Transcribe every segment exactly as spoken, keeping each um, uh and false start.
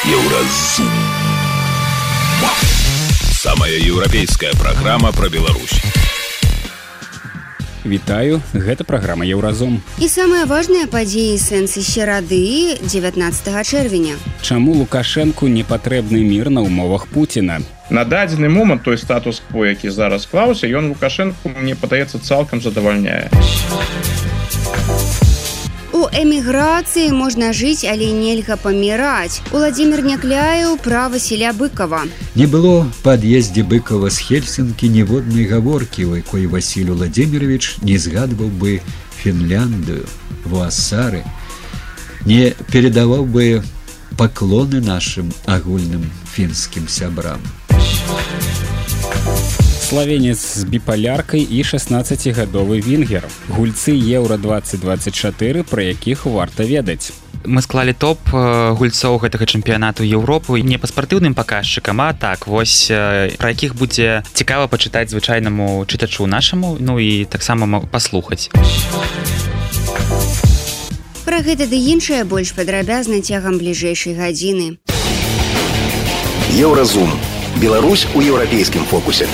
Еўразум. Самая еўрапейская праграма пра Беларусь. Вітаю, гэта праграма Еўразум. І самыя важныя падзеі сэнсы серады дзевятнаццатага чэрвеня. Чаму Лукашэнку не патрэбны мір на умовах Пуціна? На дадзены момант той статус-кво, які зараз склаўся, ён Лукашэнку, мне падаецца, цалкам задавальняе. У эміграцыі можна жыць, але нельга паміраць. Уладзімір Някляеў пра Васіля Быкова. Не было па ад'ездзе Быкова з Хельсінкі ніводнай гаворкі, у якой Васіль Уладзімірович не згадваў бы Фінляндыю, Вуасары, не перадаваў бы паклоны нашым агульным фінскім сябрам. Славенец з біпаляркай і шаснаццацігадовы венгер. Гульцы Еўра двадцать двадцать чатыры, пра якіх варта ведаць. Мы склалі топ гульцоў гэтага чэмпіянату Еўропы не па спартыўным паказчыкам, а так, вось, пра якіх будзе цікава пачытаць звычайнаму чытачу нашаму, ну і таксама паслухаць. Пра гэта ды іншае больш падрабязна цягам бліжэйшай гадзіны. Еўразум. Беларусь у еўрапейскім фокусе.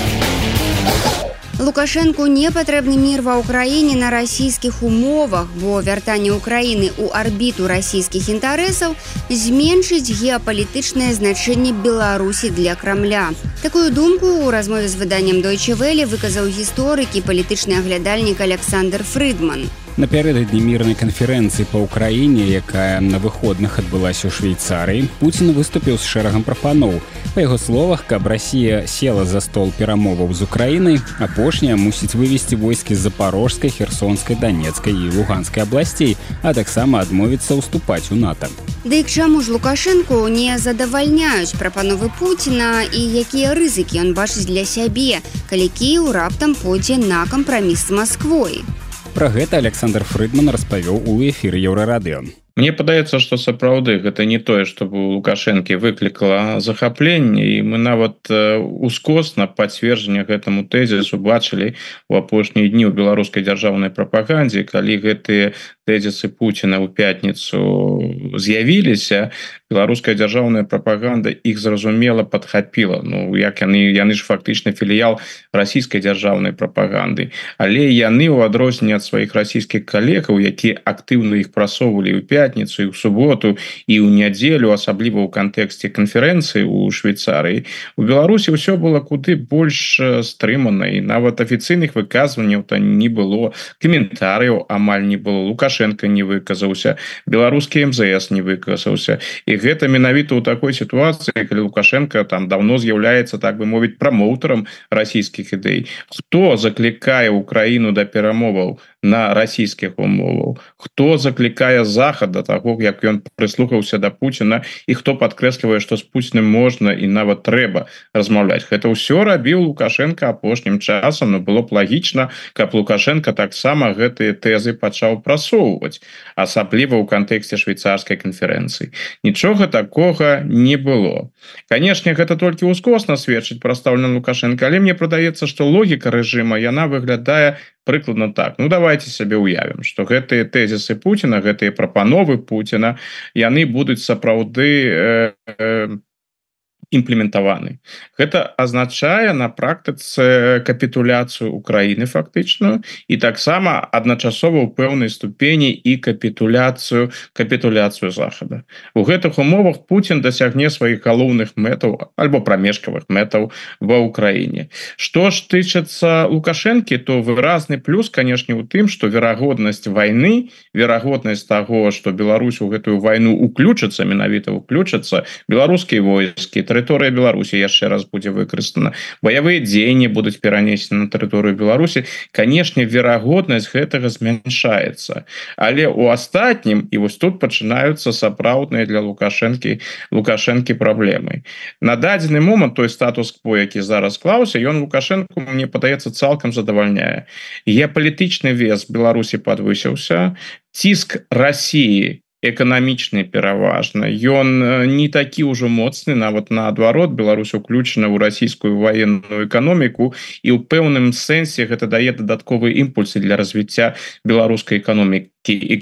Лукашэнку не патрэбны мір ва ўкраіне на расійскіх умовах, бо вяртанне ўкраіны ў арбіту расійскіх інтарэсаў зменшыць геапалітычнае значэнне Беларусі для Крамля. Такую думку ў размове з выданнем Deutsche Welle выказаў гісторык і палітычны аглядальнік Александр Фрыдман. Напярэдадні мірнай канферэнцыі па ўкраіне, якая на выходных адбылася ў Швейцарыі, Пуцін выступіў з шэрагам прапаноў. Па яго словах, каб Расія села за стол перамоваў з Украінай, апошняя мусіць вывесці войскі з Запарожскай, Херсонскай, Данецкай і Луганскай абласцей, а таксама адмовіцца ўступаць у НАТО. Дык чаму ж Лукашэнку не задавальняюць прапановы Пуціна і якія рызыкі ён бачыць для сябе, калі Кіеў раптам пойдзе на кампраміс з Масквой? Пра гэта Александр Фрыдман распавёў у эфіры Еўрарадыё. Мне падаецца, што сапраўды гэта не тое, што у Лукашэнкі выклікала захапленне, і мы нават ускосна пацверджанне гэтаму тэзісу бачылі ў апошнія дні ў беларускай дзяржаўнай прапагандзе, калі гэтыя тэзісы Пуціна ў пятніцу з'явіліся, беларуская дзяржаўная прапаганда іх зразумела падхапіла. Ну, як яны, яны ж фактычна філіял расійскай дзяржаўнай прапаганды. Але яны, у адрозненне ад сваіх расійскіх калегаў, якія актыўна іх прасоўвалі ў пятніцу і ў суботу і ў нядзелю, асабліва ў кантэксце канферэнцыі ў Швейцарыі, у Беларусі ўсё было куды больш стрымана, і нават афіцыйных выказванняў там не было, каментарыяў амаль не было, Лукашенко не выказаўся, беларускі эм зэ эс не выказаўся. І гэта менавіта ў такой сітуацыі, калі Лукашенко там давно з'яўляецца, так бы мовіць, прамоўтарам расійскіх ідэй. Хто заклікае Украіну да перамоваў на расійскіх умовах? Хто заклікае Захад да таго, як ён прыслухаўся да Пуціна, і хто падкрэслівае, што з Пуціным можна і нават трэба размаўляць? Гэта ўсё рабіў Лукашенко апошнім часам, но было б лагічна, каб Лукашенко таксама гэтыя тэзы пачаў прасоўваць, асабліва ў кантэксце швейцарскай канферэнцыі. Нічога такога не было. Канешне, гэта толькі ўскосна сведчыць пра стаўленне Лукашенко, але мне прадаецца, што логіка рэжыма, яна выглядае прыкладна так. Ну, давайте сабе уявім, што гэтыя тэзісы Пуціна, гэтыя прапановы Пуціна, яны будуць сапраўды э, э, імплементаваны. Гэта азначае на практыцы капітуляцыю Украіны фактычную і таксама адначасова ў пэўнай ступені і капітуляцыю капітуляцыю Захада. У гэтых умовах Пуцін дасягне сваіх галоўных мэтаў альбо прамежкавых мэтаў ва Ўкраіне. Што ж тычыцца Лукашэнкі, то выразны плюс, канешне, у тым, што верагоднасць вайны, верагоднасць таго, што Беларусь у гэтую вайну уключыцца, менавіта уключыцца, беларускія войскі, тэрыторыя Беларусі яшчэ раз будзе выкарыстана, баявыя дзеянні будуць перанесены на тэрыторыю Беларусі, канешне, верагоднасць гэтага змяншаецца. Але у астатнім, і вось тут пачынаюцца сапраўдныя для Лукашэнкі Лукашэнкі праблемы. На дадзены момант той статус-кво, які зараз склаўся, ён Лукашэнку, мне падаецца, цалкам задавальняе. Геапалітычны вес Беларусі падвысіўся, ціск Расіі эканамічны пераважна. Ён не такі ўжо моцны, нават наадварот, Беларусь уключана ў расійскую ваенную эканоміку, і ў пэўным сэнсе гэта дае дадатковыя імпульсы для развіцця беларускай эканомікі.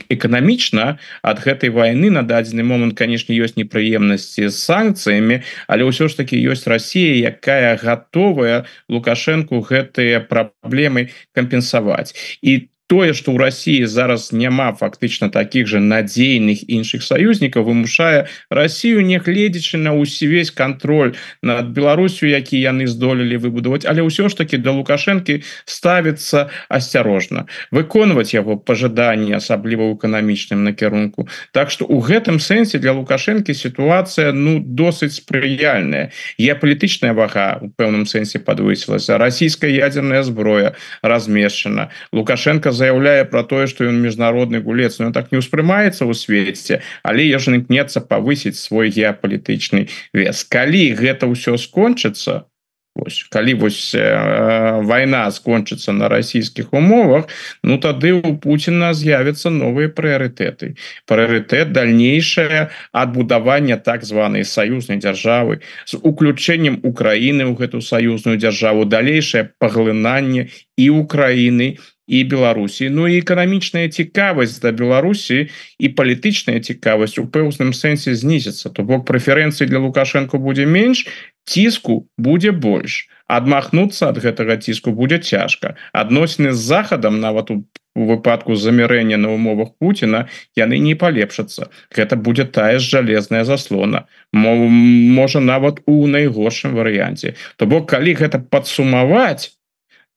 Эканамічна ад гэтай вайны на дадзены момант, канешне, ёсць непрыемнасці з санкцыямі, але ўсё ж таки ёсць Расія, якая гатовая Лукашэнку гэтыя праблемы кампенсаваць. І тое, што ў Расіі зараз няма фактычна такіх жа надзейных іншых саюзнікаў, вымушае Расію, нягледзячы на ўвесь кантроль над Беларусю, які яны здолелі выбудаваць, але ўсё ж таки да Лукашэнкі ставіцца асцярожна, выконваць яго пажаданні, асабліва ў эканамічным накірунку. Так што ў гэтым сэнсе для Лукашэнкі сітуацыя ну досыць спрыяльная. Геапалітычная вага у пэўным сэнсе падвысілася, расійская ядерная зброя размешчана. Лукашенко заяўляе пра тое, што ён міжнародны гулец, но ён так не ўспрымаецца ў свеце, але ён імкнецца павысіць свой геапалітычны вес. Калі гэта ўсё скончыцца, вось, калі вось э, вайна скончыцца на расійскіх умовах, ну тады у Пуціна з'явяцца новыя прыярытэты. Прыярытэт дальнейшае адбудавання так званай саюзнай дзяржавы з уключэннем Украіны ў гэту саюзную дзяржаву, далейшае паглынанне і Украіны, і Беларусі. Ну і эканамічная цікавасць да Беларусі і палітычная цікавасць у пэўным сэнсе знізіцца. То бок прэферэнцый для Лукашэнку будзе менш, ціску будзе больш. Адмахнуцца ад гэтага ціску будзе цяжка. Адносіны з Захадам, нават у выпадку замірэння на умовах Пуціна, яны не палепшацца. Гэта будзе тая ж жалезная заслона. Можа, нават у найгоршым варыянце. То бок, калі гэта падсумаваць,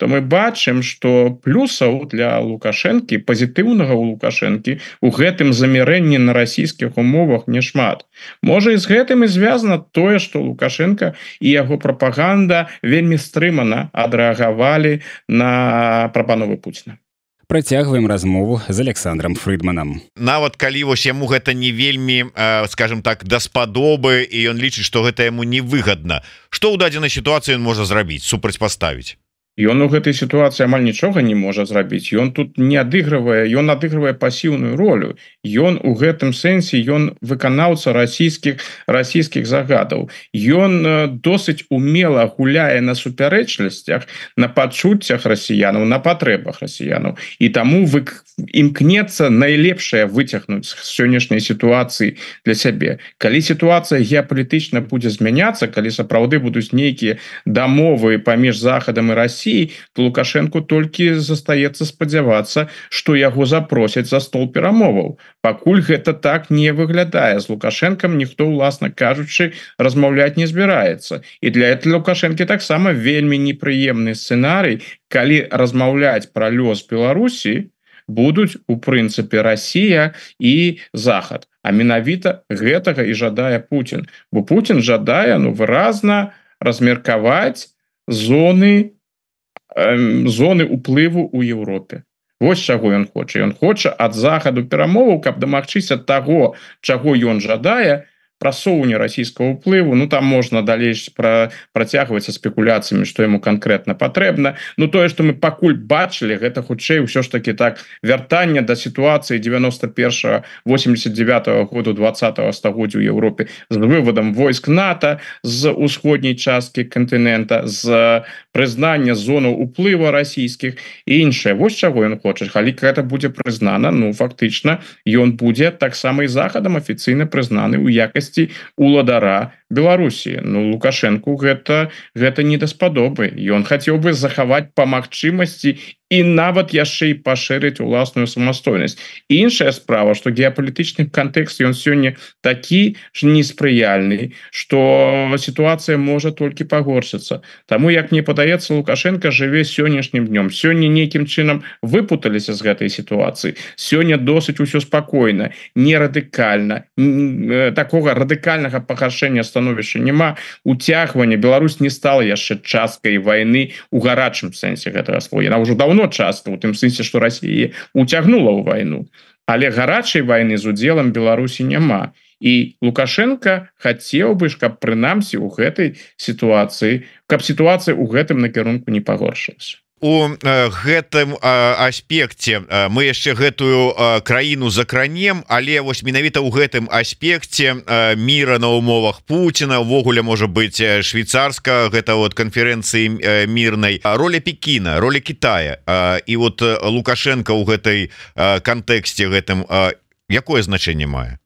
то мы бачым, што плюсаў для Лукашэнкі, пазітыўнага ў Лукашэнкі, у гэтым замірэнні на расійскіх умовах няшмат. Можа, і з гэтым і звязана тое, што Лукашенко і яго прапаганда вельмі стрымана адрэагавалі на прапановы Пуціна. Працягваем размову з Александром Фрыдманам. Нават калі вось яму гэта не вельмі, э, скажем так, даспадобы, і ён лічыць, што гэта яму невыгадна. Што ў дадзенай сітуацыі ён можа зрабіць, супрацьпаставіць? Ён у гэтай сітуацыі амаль нічога не можа зрабіць. Ён тут не адыгрывае, ён адыгрывае пасіўную ролю. Ён у гэтым сэнсе ён выканаўца расійскіх расійскіх загадаў. Ён досыць умела гуляе на супярэчлівасцях, на пачуццях расіянаў, на патрэбах расіянаў. І таму вы імкнецца найлепшае выцягнуць з сённяшняй сітуацыі для сябе. Калі сітуацыя геапалітычна будзе змяняцца, калі сапраўды будуць нейкія дамовы паміж Захадам і Расіяй, то Лукашэнку толькі застаецца спадзявацца, што яго запросяць за стол перамоваў. Пакуль гэта так не выглядае. З Лукашэнкам ніхто, уласна кажучы, размаўляць не збіраецца. І для этого Лукашэнкі таксама вельмі непрыемны сцэнарый, калі размаўляць пра лёс Беларусі будуць у прынцыпе Расія і Захад. А менавіта гэтага і жадае Пуцін. Бо Пуцін жадае ну выразна размеркаваць зоны э, зоны ўплыву ў Еўропе. Вось чаго ён хоча. Ён хоча ад Захаду перамоваў, каб дамагчыся таго, чаго ён жадае, прасоўванне расійскага ўплыву. Ну там можна далей пра, працягваць са спекуляцыямі, што яму канкрэтна патрэбна. Ну тое, што мы пакуль бачылі, гэта хутчэй ўсё ж таки так вяртанне да сітуацыі девяносто першага восемьдесят девятого году двадцатого стагоддзя ў Еўропе з выводам войск НАТО з усходняй часткі кантынента, з прызнання зонаў уплыву расійскіх і іншае. Вось чаго ён хоча. Калі гэта будзе прызнана, ну фактычна ён будзе таксама і Захадам афіцыйна прызнаны ў якасці уладара Беларусі. Ну Лукашэнку гэта гэта не даспадобы. Ён хацеў бы захаваць па магчымасці і нават яшчэ і пашырыць уласную самастойнасць. Іншая справа, што геапалітычны кантэкст ён сёння такі ж неспрыяльны, што сітуацыя можа толькі пагоршыцца. Таму, як мне падаецца, Лукашенко жыве сённяшнім днём. Сёння нейкім чынам выпуталіся з гэтай сітуацыі. Сёння досыць усё спакойна, не радыкальна. Такога радыкальнага пагаршэння становішча няма. Уцягвання. Беларусь не стала яшчэ часткай вайны у гарачым сэнсе гэтага слова. Яна ўжо даўно частка, у тым сэнсе, што Расія уцягнула ў вайну. Але гарачай вайны з удзелам Беларусі няма. І Лукашенко хацеў бы, каб прынамсі ў гэтай сітуацыі, каб сітуацыя ў гэтым накірунку не пагоршылася. у гэтым аспекце мы яшчэ гэтую краіну закранем, але вось менавіта ў гэтым аспекце міра на умовах Пуціна увогуле можа быць швейцарска гэта вот канферэнцыі мірнай, роля Пекіна, роля Китая і вот Лукашенко ў гэтай кантэксце гэтым якое значэнне мае?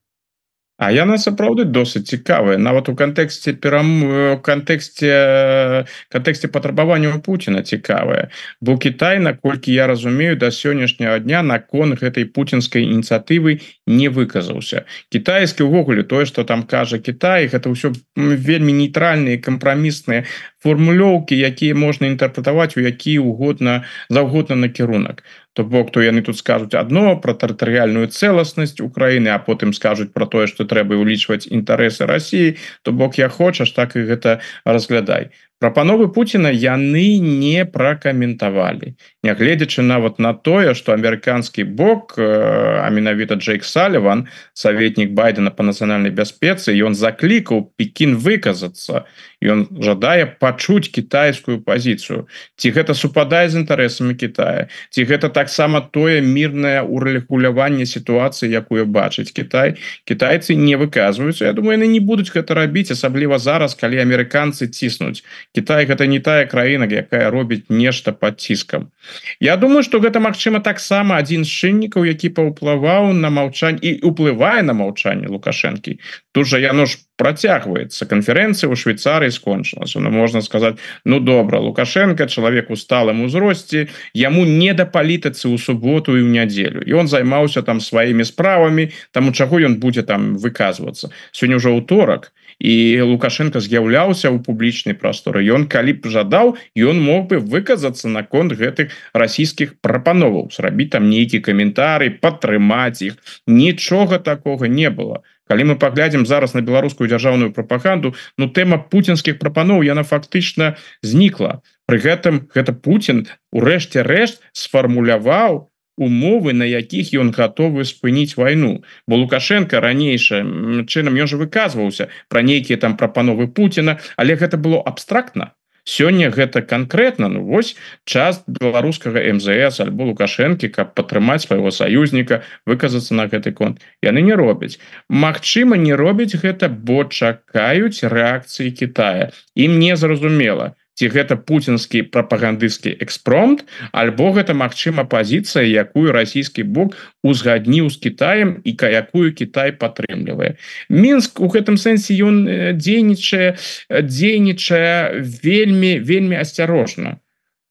А яна сапраўды досыць цікавая нават у кантэксце перам кантэксце кантэксце патрабавання Пуціна цікавая, бо Кітай, наколькі я разумею, да сённяшняга дня наконт гэтай пуцінскай ініцыятывы не выказаўся. Кітайскі ўвогуле тое, што там кажа Кітай, гэта ўсё вельмі нейтральныя кампрамісныя формулёўкі, якія можна інтэрпрэтаваць у які угодна заўгодна накірунак. То бок, то яны тут скажуць адно пра тэрытарыяльную цэласнасць Украіны, а потым скажуць пра тое, што трэба ўлічваць інтарэсы Расіі, то бок я хочаш, так і гэта разглядай. Прапановы Пуціна яны не пракаментавалі, нягледзячы нават на тое, што амерыканскі бок, а менавіта Джейк Саліван, саветнік Байдена па нацыянальнай бяспецы, ён заклікаў Пекін выказацца, ён жадае пачуць кітайскую пазіцыю. Ці гэта супадае з інтарэсамі Кітая, ці гэта таксама тое мірнае урэгуляванне сітуацыі, якую бачыць Кітай. Кітайцы не выказваюцца. Я думаю, яны не будуць гэта рабіць, асабліва зараз, калі амерыканцы ціснуць. Кітай гэта не тая краіна, якая робіць нешта пад ціскам. Я думаю, што гэта магчыма таксама адзін з чыннікаў, які паўплываў на маўчанне і ўплывае на маўчанне Лукашэнкі. Тут жа яно ж працягваецца. Канферэнцыя ў Швейцарыі скончылася. Ну, можна сказаць, ну добра, Лукашенко чалавек у сталым узросце, яму не да палітыцы ў суботу і ў нядзелю. І он займаўся там сваімі справамі, таму чаго ён будзе там выказвацца. Сёння ўжо ўторак, і Лукашенко з'яўляўся ў публічнай прасторы. Ён, калі б жадаў, ён мог бы выказацца наконт гэтых расійскіх прапановаў, зрабіць там нейкі каментарый, падтрымаць іх. Нічога такога не было. Калі мы паглядзім зараз на беларускую дзяржаўную прапаганду, ну тэма пуцінскіх прапаноў яна фактычна знікла. Пры гэтым гэта Пуцін у рэшце рэшт сфармуляваў умовы, на якіх ён гатовы спыніць вайну. Бо Лукашенко ранейшым чынам ён жа выказваўся пра нейкія там прапановы Пуціна, але гэта было абстрактна. Сёння гэта канкрэтна, ну вось час беларускага эм зэ эс альбо Лукашэнкі, каб падтрымаць свайго саюзніка, выказацца на гэты конт. Яны не робяць. Магчыма, не робяць гэта, бо чакаюць рэакцыі Кітая. Ім не зразумела, ці гэта пуцінскі прапагандысцкі экспромт, альбо гэта магчыма пазіцыя, якую расійскі бок узгадніў з Кітаем і якую Кітай падтрымлівае. Мінск у гэтым сэнсе ён дзейнічае, дзейнічае вельмі вельмі асцярожна,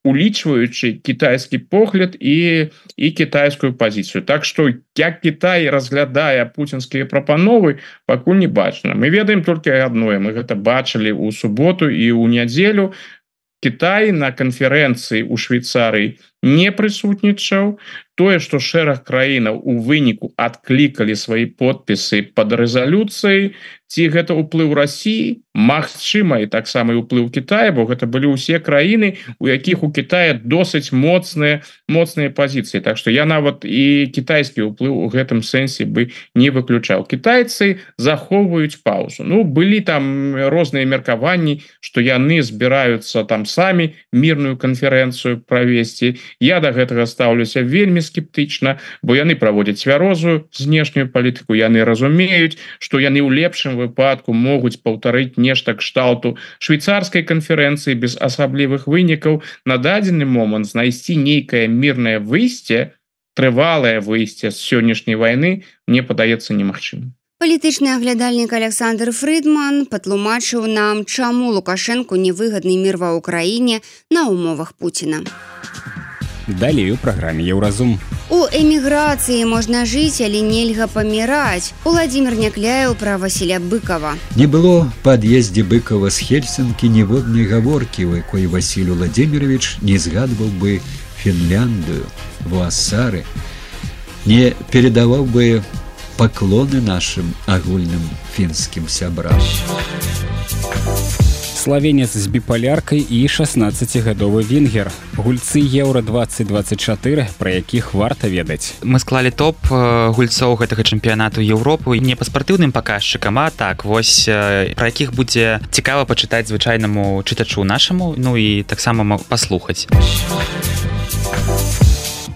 улічваючы кітайскі погляд і і кітайскую пазіцыю. Так што як Кітай разглядае пуцінскія прапановы, пакуль не бачна. Мы ведаем толькі адное, мы гэта бачылі ў суботу і ў нядзелю. Кітай на канферэнцыі ў Швейцарыі не прысутнічаў. Тое, што шэраг краінаў у выніку адклікалі свае подпісы пад рэзалюцыяй, ці гэта ўплыў Расіі, магчыма, і таксама і ўплыў Кітая, бо гэта былі ўсе краіны, у якіх у Кітая досыць моцныя моцныя пазіцыі. Так што я нават і кітайскі ўплыў у гэтым сэнсе бы не выключаў. Кітайцы захоўваюць паузу. Ну, былі там розныя меркаванні, што яны збіраюцца там самі мірную канферэнцыю правесці. Я да гэтага стаўлюся вельмі скептычна, бо яны праводзяць цвярозую знешнюю палітыку, яны разумеюць, што яны ў лепшым выпадку могуць паўтарыць нешта кшталту швейцарскай канферэнцыі без асаблівых вынікаў. На дадзены момант знайсці нейкае мірнае выйсце, трывалае выйсце з сённяшняй вайны, мне падаецца немагчымым. Палітычны аглядальнік Александр Фрыдман патлумачыў нам, чаму Лукашэнку невыгадны мір ва ўкраіне на умовах Пуціна. Далей у праграме «Еўразум». У эміграцыі можна жыць, але нельга паміраць. Уладзімір Някляеў пра Васіля Быкова. Не было па ад'ездзе Быкова з Хельсінкі ніводнай гаворкі, у якой Васіль Уладзімірович не згадваў бы Фінляндыю, Вуасары, не перадаваў бы паклоны нашым агульным фінскім сябрам. Славенец з біпаляркай і шаснаццацігадовы венгер. Гульцы Еўра двадцать двадцать чатыры, пра якіх варта ведаць. Мы склалі топ гульцоў гэтага чэмпіянату Еўропы не па спартыўным паказчыкам, а так вось пра якіх будзе цікава пачытаць звычайнаму чытачу нашаму, ну і таксама паслухаць.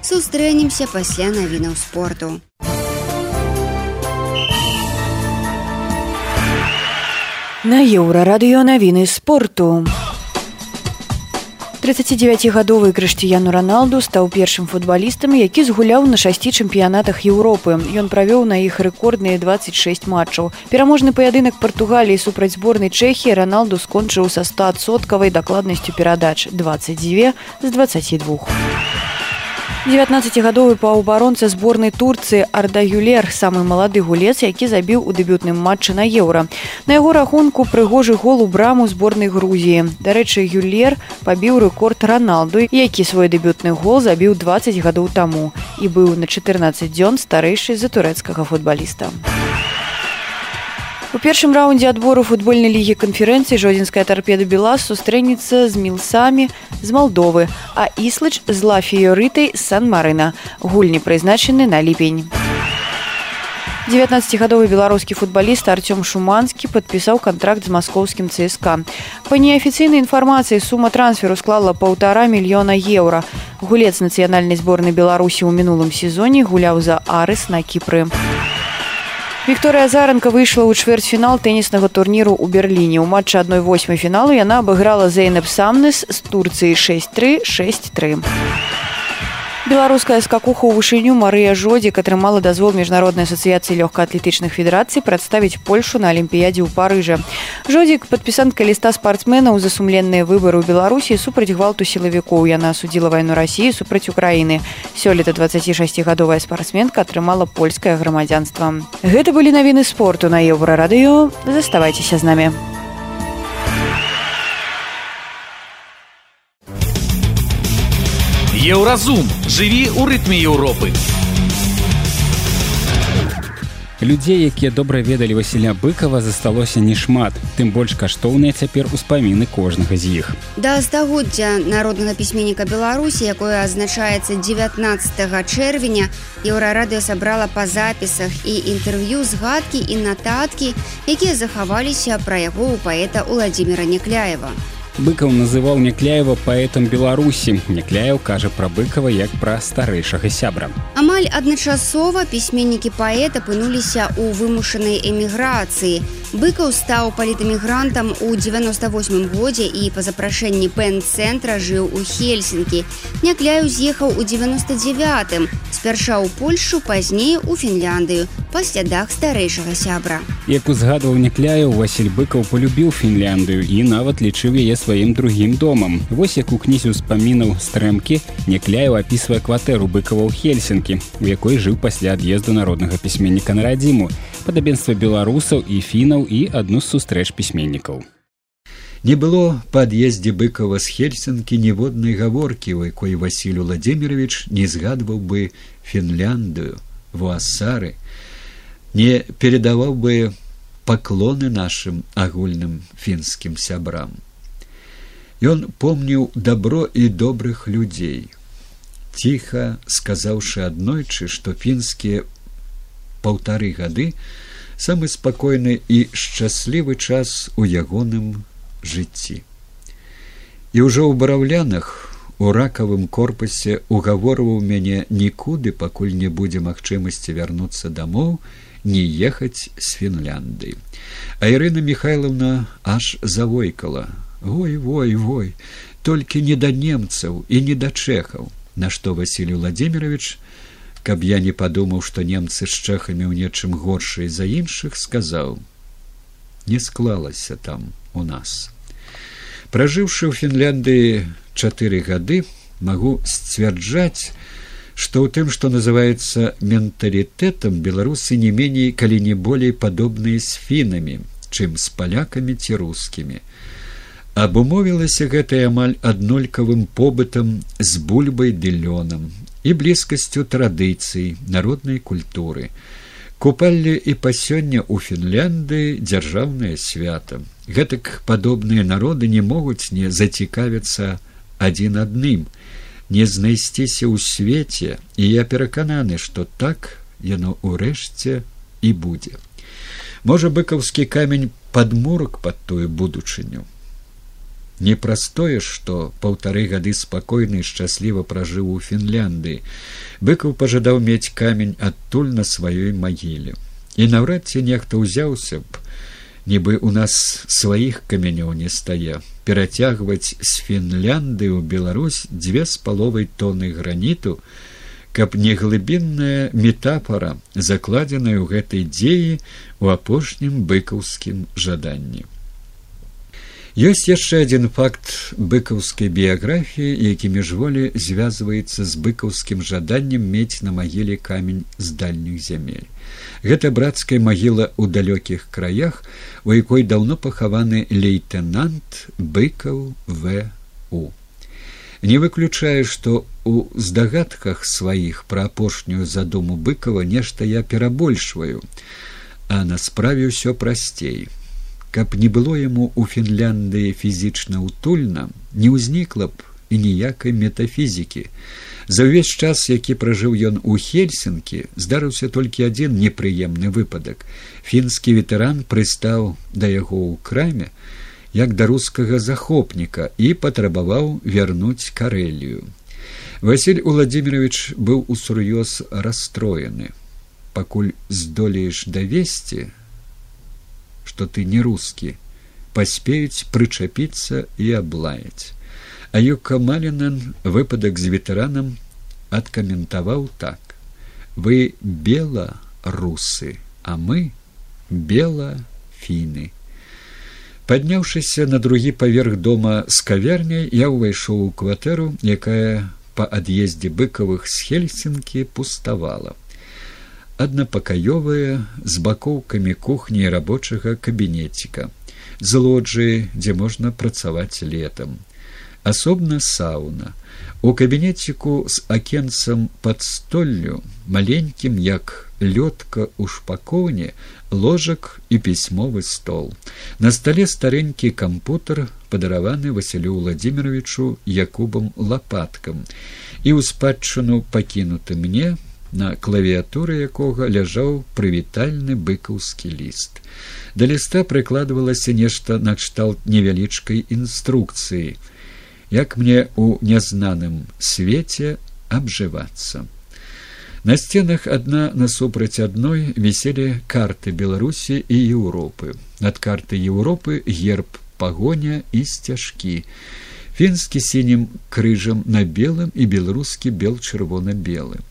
Сустрэнемся пасля навінаў спорту. На Еўрарадыё навіны спорту. тридцатидзевяцігадовы Крыштыяну Роналду стаў першым футбалістам, які згуляў на шасці чэмпіянатах Еўропы. Ён правёў на іх рэкордныя двадцать шесть матчаў. Пераможны паядынак Партугаліі супраць зборнай Чэхіі Роналду скончыў са стаадсоткавай дакладнасцю перадач двадцать два з двадцати двух. дзевятнаццацігадовы паўабаронца зборнай Турцыі Арда Юлер, самы малады гулец, які забіў у дэбютным матчы на Еўра. На яго рахунку прыгожы гол у браму зборнай Грузіі. Дарэчы, Юлер пабіў рэкорд Роналду, які свой дэбютны гол забіў двадцать гадоў таму і быў на чатырнаццаць дзён старэйшы за турэцкага футбаліста. У першым раўндзе адбору футбольнай лігі канферэнцыі жодзінская тарпеда Белас сустрэнецца з Мілсамі з Малдовы, а Іслач з Ла-Фіёрытай з Сан-Марына. Гульні прызначаны на ліпень. дзевятнаццацігадовы беларускі футбаліст Артём Шуманскі падпісаў кантракт з маскоўскім ЦСКА. Па неафіцыйнай інфармацыі сума трансферу склала паўтара мільёна еўра. Гулец нацыянальнай зборнай Беларусі ў мінулым сезоне гуляў за Арыс на Кіпры. Вікторыя Азаранка выйшла ў чвэрцьфінал тэніснага турніру ў Берліне. У матчы адной восьмай фіналу яна абыграла Зейнеп Самнес з Турцыі шэсць тры шэсць тры. Беларуская скакуха ў вышыню Марыя Жодзік атрымала дазвол міжнароднай асацыяцыі лёгкаатлетычных федэрацый прадставіць Польшу на алімпіядзе ў Парыжы. Жодзік падпісантка ліста спартсменаў за сумленныя выбары ў Беларусі супраць гвалту сілавікоў. Яна асудзіла вайну Расіі супраць Украіны. Сёлета дваццацішасцігадовая спартсменка атрымала польскае грамадзянства. Гэта былі навіны спорту на Еўрарадыё. Заставайцеся з намі. Еўразум. Жыві ў рытме Еўропы. Людзей, якія добра ведалі Васіля Быкова, засталося нешмат. Тым больш каштоўныя цяпер успаміны кожнага з іх. Да стагоддзя народнага пісьменніка Беларусі, якое адзначаецца дзевятнаццатага чэрвеня, Еўрарадыё сабрала па запісах і інтэрв'ю згадкі і нататкі, якія захаваліся пра яго ў паэта Уладзіміра Някляева. Быкаў называў Някляева паэтам Беларусі. Някляеў кажа пра Быкава як пра старэйшага сябра. Амаль адначасова пісьменнікі паэта апынуліся ў вымушанай эміграцыі. Быкаў стаў палітэмігрантам у дзевяноста восьмым годзе і па запрашэнні пэн-цэнтра жыў у Хельсінкі. Някляеў з'ехаў у дзевяноста дзевятым, спярша ў Польшу, пазней у Фінляндыю, па слядах старэйшага сябра. Як узгадваў Някляеў, Васіль Быкаў полюбіў Фінляндыю і нават лічыў яе сваім другім домам. Вось як у кнізе ўспамінаў «Стрэмкі» Някляеў апісвае кватэру Быкава ў Хельсінкі, у якой жыў пасля ад'езду народнага пісьменніка на радзіму, падабенства беларусаў і фінаў і адну з сустрэч пісьменнікаў. Не было па ад'ездзе Быкава з Хельсінкі ніводнай гаворкі, у якой Васіль Уладзімірович не згадваў бы Фінляндыю, Вуасары, не передаваў бы паклоны нашым агульным фінскім сябрам. Ён помніў дабро і добрых людзей, ціха сказаўшы аднойчы, што фінскія паўтары гады самы спакойны і шчаслівы час у ягоным жыцці. І ўжо ў бараўлянах у ракавым корпусе угаворваў мяне нікуды, пакуль не будзе магчымасці вярнуцца дамоў, не ехаць з Фінляндыі. А Ірына Михайловна аж завойкала: «Ой, вой, вой, толькі не да немцаў і не да чэхаў». На што Васіль Уладзімірович, каб я не падумаў, што немцы з чэхамі ў нечым горшай за іншых, сказаў: «Не склалася там у нас». Пражыўшы ў Фінляндыі чатыры гады, магу сцвярджаць, што ў тым, што называецца менталітэтам, беларусы не меней, калі не болей падобныя з фінамі, чым з палякамі ці рускімі. Абумовілася гэтае амаль аднолькавым побытам з бульбай ды лёнам і блізкасцю традыцый, народнай культуры. Купалле і па сёння ў Фінляндыі дзяржаўнае свята. Гэтак падобныя народы не могуць не зацікавіцца адзін адным, не знайсціся ў свеце, і я перакананы, што так яно ўрэшце і будзе. Можа, быкаўскі камень падмурак пад тую будучыню. Непростое, што паўтары гады спакойна і шчасліва пражыў у Фінляндыі. Быкаў пажадаў мець камень адтуль на сваёй магіле. І наўрад ці нехта ўзяўся б, нібы ў нас сваіх камянёў не стае, перацягваць з Фінляндыі ў Беларусь дзве з паловай тоны граніту, каб не глыбінная метафора, закладзеная ў гэтай дзеі ў апошнім быкаўскім жаданні. Ёсць яшчэ адзін факт быкаўскай біяграфіі, які міжволі звязваецца з быкаўскім жаданнем мець на магіле камень з дальніх зямель. Гэта брацкая магіла ў далёкіх краях, у якой даўно пахаваны лейтэнант Быкаў В У. Не выключаю, што ў здагадках сваіх пра апошнюю задуму Быкава нешта я перабольшваю, а на справе ўсё прасцей. Каб не было яму ў Фінляндыі фізічна ўтульна, не ўзнікла б і ніякай метафізікі. За ўвесь час, які пражыў ён у Хельсінкі, здарыўся толькі адзін непрыемны выпадак. Фінскі ветэран прыстаў да яго ў краме, як да рускага захопніка, і патрабаваў вярнуць Карэлію. Васіль Уладзімірович быў усур'ёз расстроены. Пакуль здолееш давесці, што ты не рускі, паспеюць прычапіцца і аблаяць. А Юка Малінен выпадак з ветэранам адкаментаваў так: «Вы бела-русы, а мы бела-фіны». Падняўшыся на другі паверх дома з кавярняй, я ўвайшоў у кватэру, якая па ад'ездзе Быкавых з Хельсінкі пуставала. Аднапакаёвая, з бакоўкамі кухні і рабочага кабінеціка, з лоджыі, дзе можна працаваць летам. Асобна сауна. У кабінеціку з акенцам пад столлю, маленькім, як лёдка ў шпакоўні, ложак і пісьмовы стол. На стале старэнькі кампутар, падараваны Васілю Уладзіміровичу Якубам Лапаткам, і ў спадчыну пакінуты мне, на клавіатуры якога ляжаў прывітальны быкаўскі ліст. Да ліста прыкладвалася нешта накшталт невялічкай інструкцыі, як мне ў нязнаным свеце абжывацца. На сценах адна насупраць адной віселі карты Беларусі і Еўропы. Над карты Еўропы герб пагоня і сцяжкі. Фінскі сінім крыжам на белым і беларускі бел-чырвона-белы.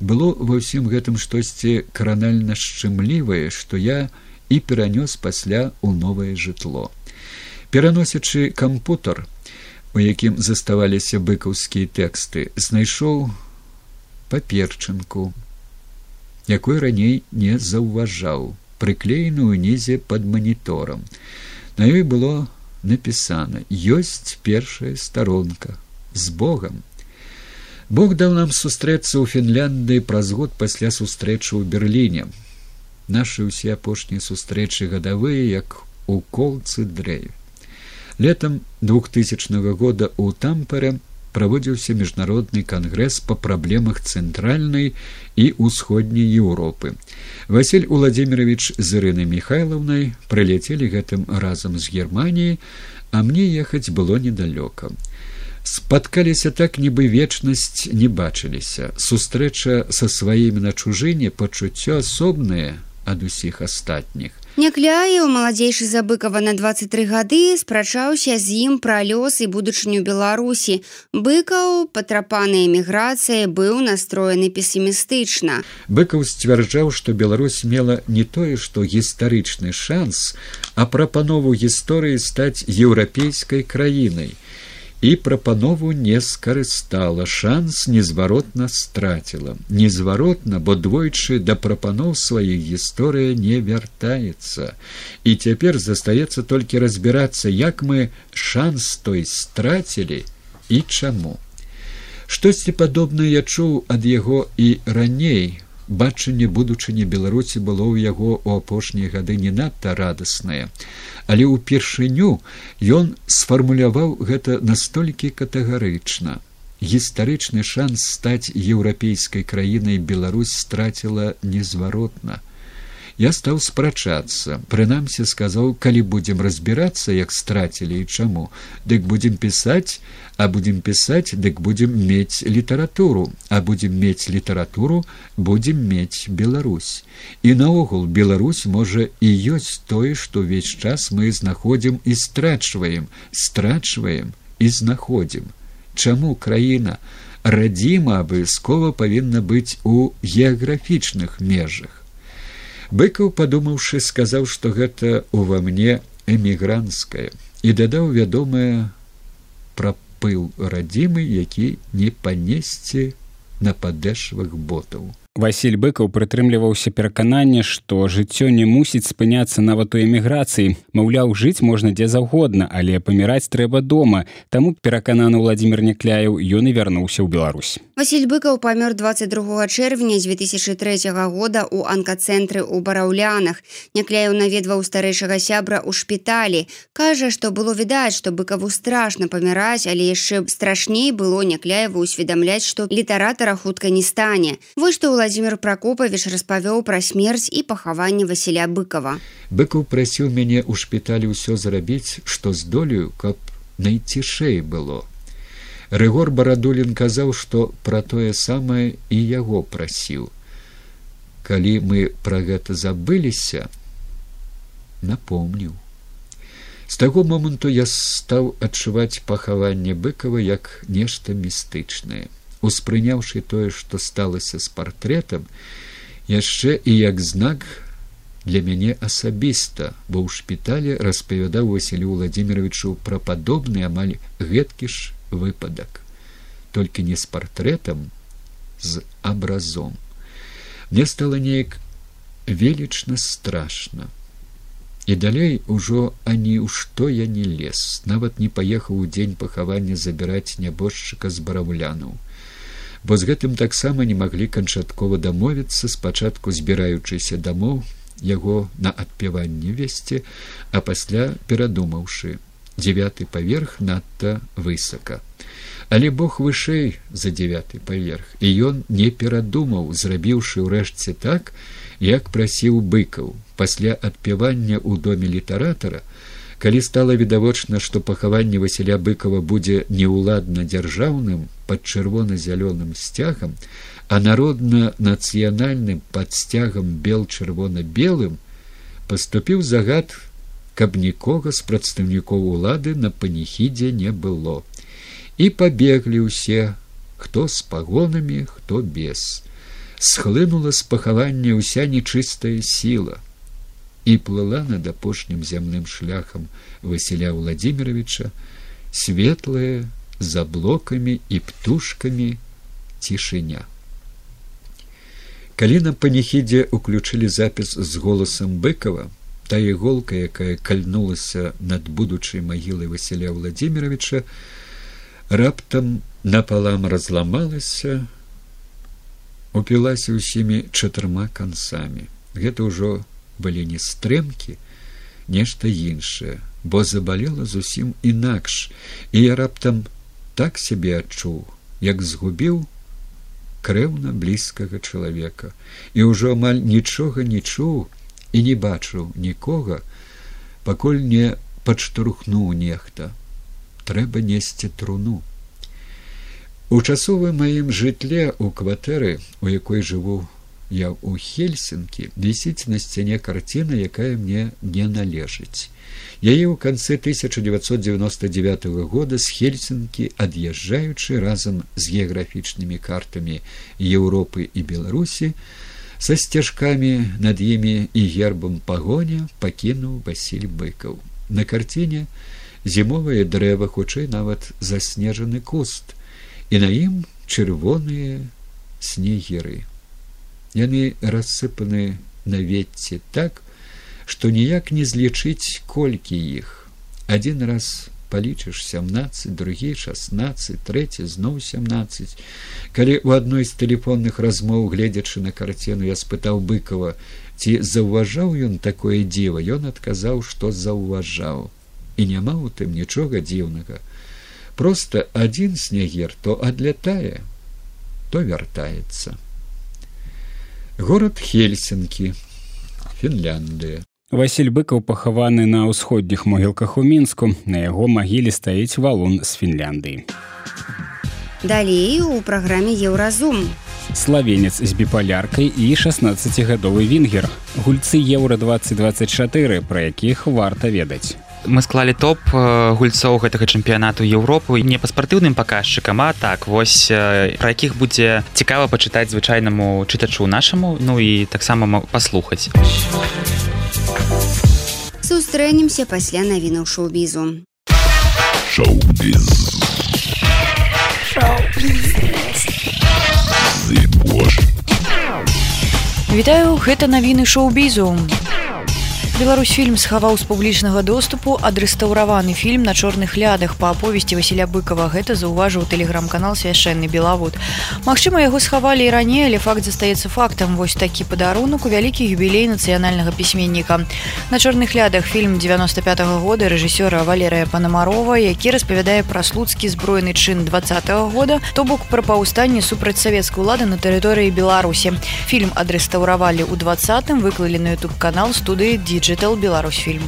Было ва ўсім гэтым штосьці каранальна шчымлівае, што я і перанёс пасля ў новае жытло. Пераносячы кампутар, у якім заставаліся быкаўскія тэксты, знайшоў паперчынку, якой раней не заўважаў, прыклееную ўнізе пад маніторам. На ёй было напісана: «Ёсць першая старонка. З Богам». Бог даў нам сустрэцца ў Фінляндыі праз год пасля сустрэчы ў Берліне. Нашы ўсе апошнія сустрэчы гадавыя, як у колцы дрэве. Летам двухтысячнага года ў Тампере праводзіўся міжнародны кангрэс па праблемах цэнтральнай і ўсходняй Еўропы. Васіль Уладзімірович з Ірынай Міхайлаўнай прыляцелі гэтым разам з Германіі, а мне ехаць было недалёка. Спаткаліся так, нібы вечнасць не бачыліся. Сустрэча са сваімі на чужыне, пачуццё асобнае ад усіх астатніх. Някляеў, маладзейшы за Быкава на дваццаць тры гады, спрачаўся з ім пра лёс і будучыню Беларусі. Быкаў, патрапаны эміграцыяй, быў настроены песімістычна. Быкаў сцвярджаў, што Беларусь мела не тое, што гістарычны шанс, а прапанову гісторыі стаць еўрапейскай краінай. І прапанову не скарыстала, шанс незваротна страціла. Незваротна, бо двойчы да прапаноў сваіх гісторыя не вяртаецца. І цяпер застаецца толькі разбірацца, як мы шанс той страцілі і чаму. Штосьці падобнае я чуў ад яго і раней, бачанне будучыні Беларусі было ў яго ў апошнія гады не надта радаснае, але ўпершыню ён сфармуляваў гэта настолькі катэгарычна. Гістарычны шанс стаць еўрапейскай краінай Беларусь страціла незваротна. Я стаў спрачацца, прынамсі сказаў, калі будзем разбірацца, як страцілі і чаму, дык будзем пісаць, а будзем пісаць, дык будзем мець літаратуру, а будзем мець літаратуру, будзем мець Беларусь. І наогул Беларусь можа і ёсць тое, што ўвесь час мы знаходзім і страчваем, страчваем і знаходзім. Чаму краіна радзіма абавязкова павінна быць у геаграфічных межах? Быкаў, падумаўшы, сказаў, што гэта ува мне эмігранцкае, і дадаў вядомае пра пыл радзімы, які не панесці на падэшвах ботаў. Васіль Быкаў прытрымліваўся пераканання, што жыццё не мусіць спыняцца нават у эміграцыі. Маўляў, жыць можна дзе заўгодна, але паміраць трэба дома. Таму, перакананы Владзімір Някляеў, ён і вярнуўся ў Беларусь. Васіль Быкаў памёр двадцать другога чэрвеня дзве тысячы трэцяга года ў анкацэнтры ў Бараўлянах. Някляеў наведваў старэйшага сябра ў шпіталі. Кажа, што было відаць, што Быкаву страшна паміраць, але яшчэ страшней было Някляеву ўсведамляць, што літаратара хутка не стане. Вось што Владзімір Пракопавіч распавёў пра смерць і пахаванне Васіля Быкава. Быкаў прасіў мяне ў шпіталі ўсё зрабіць, што здолею, каб найцішэй было. Рыгор Барадулін казаў, што пра тое самае і яго прасіў. Калі мы пра гэта забыліся, напомніў. З таго моманту я стаў адчуваць пахаванне Быкава як нешта містычнае. Успрыняўшы тое, што сталася з партрэтам, яшчэ і як знак для мяне асабіста, бо ў шпіталі распавядаў Васілю Владзіміровичу пра падобны амаль гэткі ж выпадак. Толькі не з партрэтам, з абразом. Мне стала неяк велічна страшна. І далей ужо ані ў што я не лез, нават не паехаў у дзень пахавання забіраць нябожчыка з Бараўлянаў. Бо з гэтым таксама не маглі канчаткова дамовіцца, спачатку збіраючыся дамоў яго на адпяванне весці, а пасля перадумаўшы, дзевяты паверх надта высока. Але Бог вышэй за дзевяты паверх, і ён не перадумаў, зрабіўшы ўрэшце так, як прасіў Быкаў. Пасля адпявання ў доме літаратара, калі стала відавочна, што пахаванне Васіля Быкава будзе неўладна дзяржаўным пад чырвона-зялёным сцягам, а народна-нацыянальным пад сцягам бел-чырвона-белым, паступіў загад, каб нікога з прадстаўнікоў улады на паніхідзе не было. І пабеглі ўсе, хто з пагонамі, хто без. Схлынула з пахавання ўся нечыстая сіла і плыла над апошнім зямным шляхам Васіля Владзіміровича светлая, за блокамі і птушкамі цішыня. Калі на паніхідзе уключылі запіс з голасам Быкава, та іголка, якая кальнулася над будучай магілай Васіля Владзіміровича, раптам напалам разламалася, упілася ўсімі чатырма канцамі. Гэта ўжо былі не стрэмкі, нешта іншае, бо забалела зусім інакш, і я раптам так сябе адчуў, як згубіў крэўна блізкага чалавека, і ўжо амаль нічога не чуў і не бачыў нікога, пакуль не падштурхнуў нехта. Трэба несці труну. У часовым маім жытле ў кватэры, у якой жыву я ў Хельсінкі, вісіць на сцяне карціна, якая мне не належыць. Яе ў канцы тысяча дзевяцьсот дзевяноста дзевятага года з Хельсінкі, ад'язджаючы разам з геаграфічнымі картамі Еўропы і Беларусі, са сцяжкамі над імі і гербам пагоня пакінуў Васіль Быкаў. На карціне зімовае дрэва, хутчэй нават заснежаны куст, і на ім чырвоныя снегіры. Яны рассыпаны на ветці так, што ніяк не злічыць, колькі іх. Адзін раз палічыш сямнаццаць, другі шаснаццаць, трэці зноў сямнаццаць. Калі ў адной з тэлефонных размоў, гледзячы на карціну, я спытаў Быкова, ці заўважаў ён такое дзіва, ён адказаў, што заўважаў. І няма ў тым нічога дзіўнага. Проста адзін снегер то адлятае, то вяртаецца. Горад Хельсінкі, Фінляндыя. Васіль Быкаў пахаваны на ўсходніх могілках у Мінску. На яго магіле стаіць валун з Фінляндыі. Далей у праграме «Еўразум». Славенец з біпаляркай і шаснаццацігадовы венгер. Гульцы Еўра двадцать двадцать чатыры, пра якіх варта ведаць. Мы склалі топ гульцоў гэтага чэмпіянату Еўропы не па спартыўным паказчыкам, а так вось пра якіх будзе цікава пачытаць звычайнаму чытачу нашаму, ну і таксама паслухаць. Сустрэнемся пасля навінаў шоу-бізу. Шоу-біз. Вітаю, гэта навіны шоу-бізу. Беларусьфільм схаваў з публічнага доступу адрэстаўраваны фільм на чорных лядах па аповесці Васіля Быкава. Гэта заўважыў тэлеграм-канал «Свяшчэнны Белавод». Магчыма, яго схавалі і раней, але факт застаецца фактам. Вось такі падарунак у вялікі юбілей нацыянальнага пісьменніка. На чорных лядах фільм дзевяноста пятага года рэжысёра Валерыя Панамарова, які распавядае пра слуцкі збройны чын двадцатага года, то бок пра паўстанне супраць савецкай улады на тэрыторыі Беларусі. Фільм адрэстаўравалі ў двадцатым, выклалі на ютуб-канал студыі Digital Беларусьфільм.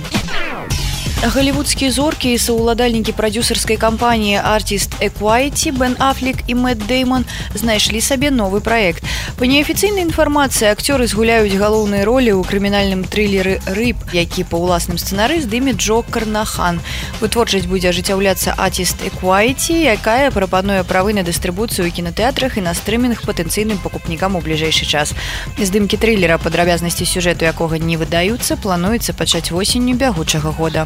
Голливудские зорки и соуладальники продюсерской компании Artist Equity Бен Аффлек и Мэтт Дэймон знайшлі сабе новый проект. По неофициальной информации, актеры згуляюць галоўныя ролі ў крымінальным трылеры «Рыб», які па ўласным сцэнары здыме Джо Карнахан. Вытворчасць будзе ажыццяўляцца Artist Equity, якая прапануе правы на дыстрыбуцыю ў кінатэатрах і на стрымінг патэнцыйным пакупнікам у бліжэйшы час. Здымкі трылера, падрабязнасці сюжэту якога не выдаюцца, плануецца пачаць восенню бягучага года.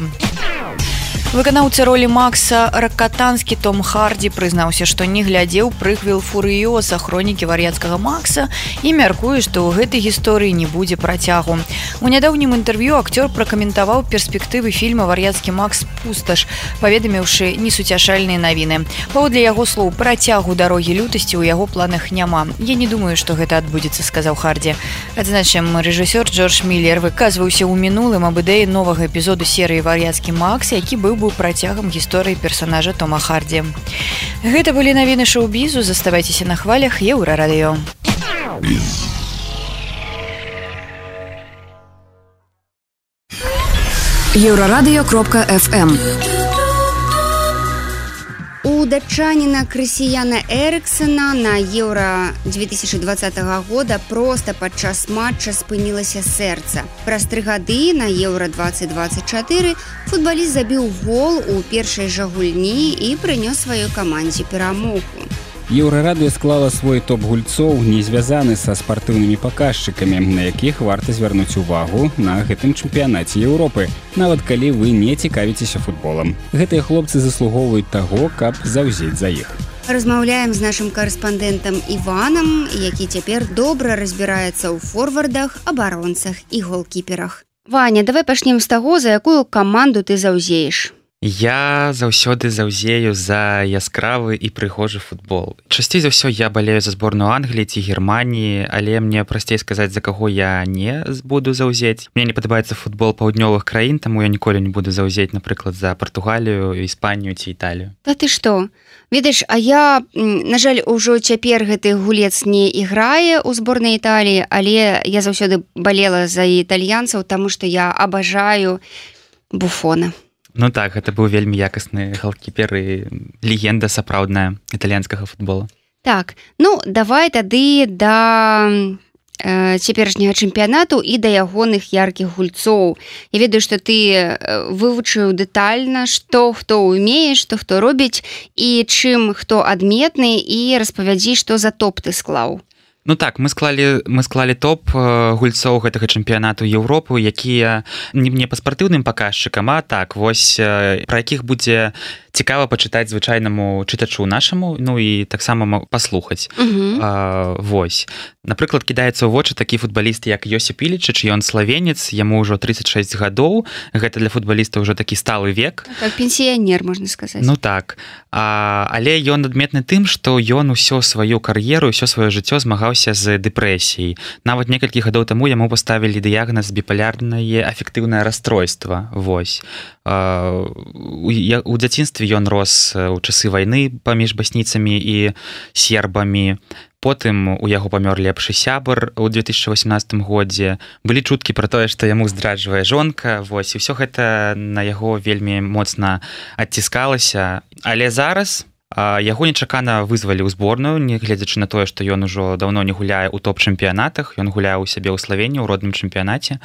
Выканаўца ролі Макса Ракатанскі Том Хардзі прызнаўся, што не глядзеў прыквел «Фурыёса» хронікі вар'яцкага Макса і мяркуе, што ў гэтай гісторыі не будзе працягу. У нядаўнім інтэрв'ю акцёр пракаментаваў перспектывы фільма «Вар'яцкі Макс. Пусташ», паведаміўшы несуцяшальныя навіны. Паводле яго слоў, працягу «Дарогі лютасці» ў яго планах няма. «Я не думаю, што гэта адбудзецца», сказаў Хардзі. Адзначым, рэжысёр Джордж Міллер выказваўся ў мінулым аб ідэі новага эпізоду серыі «Вар'яцкі Макс», які быў быў працягам гісторыі персонажа Тома Хардзі. Гэта былі навіны шоу-бізу. Заставайцеся на хвалях Еўрарадыё. еўрарадыё кропка эф эм. У датчаніна Крысіяна Эрыксена на Еўра две тысячи двадцатого года проста падчас матча спынілася сэрца. Праз тры гады на Еўра двадцать двадцать чатыры футбаліст забіў гол у першай жа гульні і прынёс сваёй камандзе перамогу. Еўрарадыё склала свой топ гульцоў, не звязаны са спартыўнымі паказчыкамі, на якіх варта звярнуць увагу на гэтым чэмпіянаце Еўропы, нават калі вы не цікавіцеся футболам. Гэтыя хлопцы заслугоўваюць таго, каб заўзець за іх. Размаўляем з нашым карэспандэнтам Іванам, які цяпер добра разбіраецца ў форвардах, абаронцах і голкіперах. Ваня, давай пачнем з таго, за якую каманду ты заўзееш. Я заўсёды заўзею за яскравы і прыгожы футбол. Часцей за ўсё я балею за зборную Англіі ці Германіі, але мне прасцей сказаць, за каго я не буду заўзець. Мне не падабаецца футбол паўднёвых краін, таму я ніколі не буду заўзець, напрыклад, за Партугалію, Іспанію ці Італію. Та ты што? Ведаеш, а я, на жаль, ужо цяпер гэты гулец не іграе ў зборнай Італіі, але я заўсёды балела за італьянцаў, таму што я абажаю Буфона. Ну так, гэта быў вельмі якасны голкіпер і легенда сапраўдная італьянскага футбола. Так, ну давай тады да э, цяперашняга чэмпіянату і да ягоных яркіх гульцоў. Я ведаю, што ты вывучыў дэтальна, што хто ўмее, што хто робіць і чым хто адметны, і распавядзі, што за топ ты склаў. Ну так, мы склалі, мы склалі топ гульцоў гэтага чэмпіянату Еўропы, якія не, не па спартыўным паказчыкам, а так вось пра якіх будзе цікава пачытаць звычайнаму чытачу нашаму, ну і таксама паслухаць. Uh-huh. А, вось. Напрыклад, кідаецца ў вочы такі футбаліст, як Йосіп Ілічыч, ён славенец, яму ўжо тридцать шесть гадоў. Гэта для футбаліста ўжо такі сталы век. Как пенсіянер, можна сказаць. Ну так. А, але ён адметны тым, што ён усё сваю кар'еру, усё сваё жыццё змагаўся з дэпрэсіяй. Нават некалькі гадоў таму яму паставілі дыягназ біпалярнае афектыўнае расстройства. Вось. А, у, у дзяцінстве ён рос у часы вайны паміж басніцамі і сербамі. Потым у яго памёр лепшы сябар у две тысячи восемнадцатым годзе. Былі чуткі пра тое, што яму здраджвае жонка. Вось, і ўсё гэта на яго вельмі моцна адціскалася. Але зараз а, яго нечакана вызвалі ў зборную, нягледзячы на тое, што ён ужо даўно не гуляе ў топ-чэмпіянатах. Ён гуляе ў сябе ў Славеніі ў родным чэмпіянаце.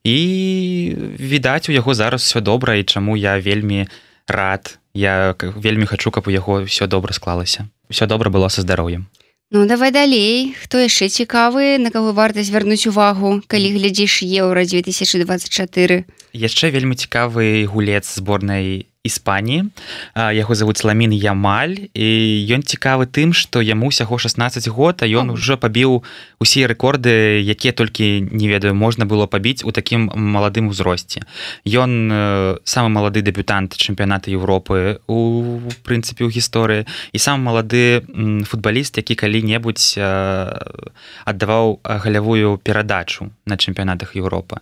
І, відаць, у яго зараз усё добра, і чаму я вельмі рад. Я вельмі хачу, каб у яго ўсё добра склалася. Усё добра было са здароўем. Ну, давай далей. Хто яшчэ цікавы, на каго варта звярнуць увагу, калі глядзіш Еўра две тысячи двадцать четыре? Яшчэ вельмі цікавы гулец зборнай Іспаніі. Яго завуць Ламін Ямаль, і ён цікавы тым, што яму ўсяго шестнадцать год, а ён ужо пабіў усе рэкорды, якія толькі, не ведаю, можна было пабіць у такім маладым узросце. Ён самы малады дэбютант чэмпіяната Еўропы у прынцыпе ў гісторыі, і самы малады футбаліст, які калі-небудзь аддаваў галявую перадачу на чэмпіянатах Еўропы.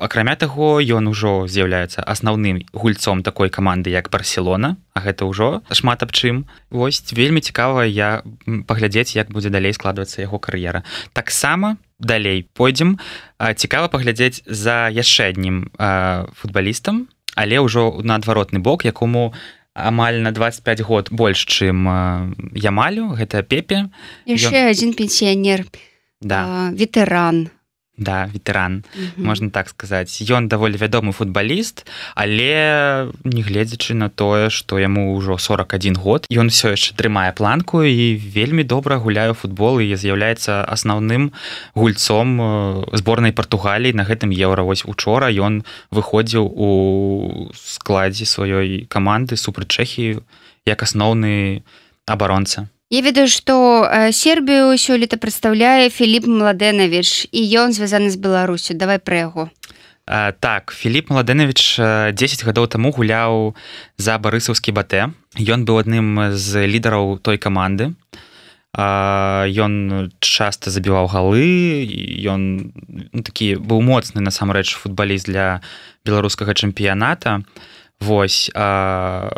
Акрамя таго, ён ужо з'яўляецца асноўным гульцом такой каманды, як Барселона, а гэта ўжо шмат аб чым. Вось, вельмі цікава я паглядзець, як будзе далей складвацца яго кар'ера. Таксама далей пойдзем. Цікава паглядзець за яшчэ аднім футбалістам, але ўжо на адваротны бок, якому амаль на двадцать пять год больш, чым Ямалю, гэта Пепе. Яшчэ ён... адзін пенсіянер, да. ветэран. Да, ветэран, mm-hmm. можна так сказаць. Ён даволі вядомы футбаліст, але нягледзячы на тое, што яму ўжо сорок один год, ён усё яшчэ трымае планку і вельмі добра гуляе ў футбол і з'яўляецца асноўным гульцом зборнай Партугаліі на гэтым Еўра. Вось учора ён выходзіў у складзе сваёй каманды супраць Чэхіі як асноўны абаронца. Я ведаю, што Сербію сёлета прадстаўляе Філіп Младэнавіч, і ён звязаны з Беларусю. Давай пра яго. А, так, Філіп Младэнавіч дзесяць гадоў таму гуляў за барысаўскі Батэ. Ён быў адным з лідараў той каманды. А, ён часта забіваў галы, ён ну, такі быў моцны насамрэч футбаліст для беларускага чэмпіяната. Вось, а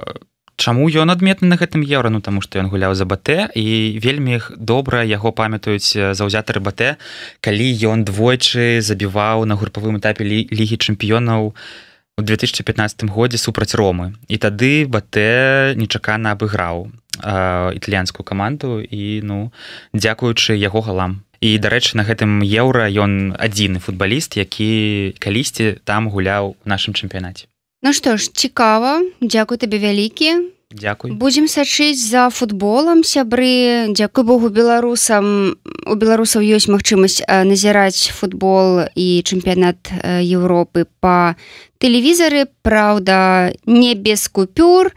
чаму ён адметны на гэтым Еўра? Ну, таму што ён гуляў за Батэ, і вельмі добра яго памятаюць заўзятары Батэ, калі ён двойчы забіваў на групавым этапе Лігі чэмпіёнаў у две тысячи пятнадцатым годзе супраць Ромы. І тады Батэ нечакана абыграў э, італьянскую каманду, і ну, дзякуючы яго галам. І, дарэчы, на гэтым Еўра ён адзіны футбаліст, які калісьці там гуляў у нашым чэмпіянаце. Ну што ж, цікава. Дзякуй табе вялікі. Дзякуй. Будзем сачыць за футболам, сябры. Дзякуй Богу беларусам. У беларусаў ёсць магчымасць назіраць футбол і чэмпіянат Еўропы па тэлевізары. Праўда, не без купюр,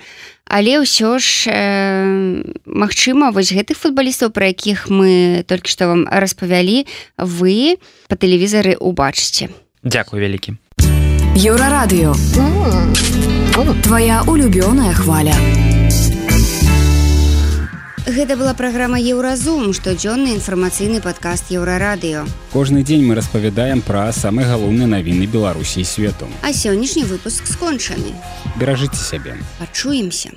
але ўсё ж э, магчыма, вось гэтых футбалістаў, пра якіх мы толькі што вам распавялі, вы па тэлевізары ўбачыце. Дзякуй вялікі. Еўрарадыё. Твая улюбёная хваля. Гэта была праграма Еўразум, штодзённы інфармацыйны падкаст Еўрарадыё. Кожны дзень мы распавядаем пра самыя галоўныя навіны Беларусі і свету. А сённяшні выпуск скончаны. Беражыце сябе. Пачуемся.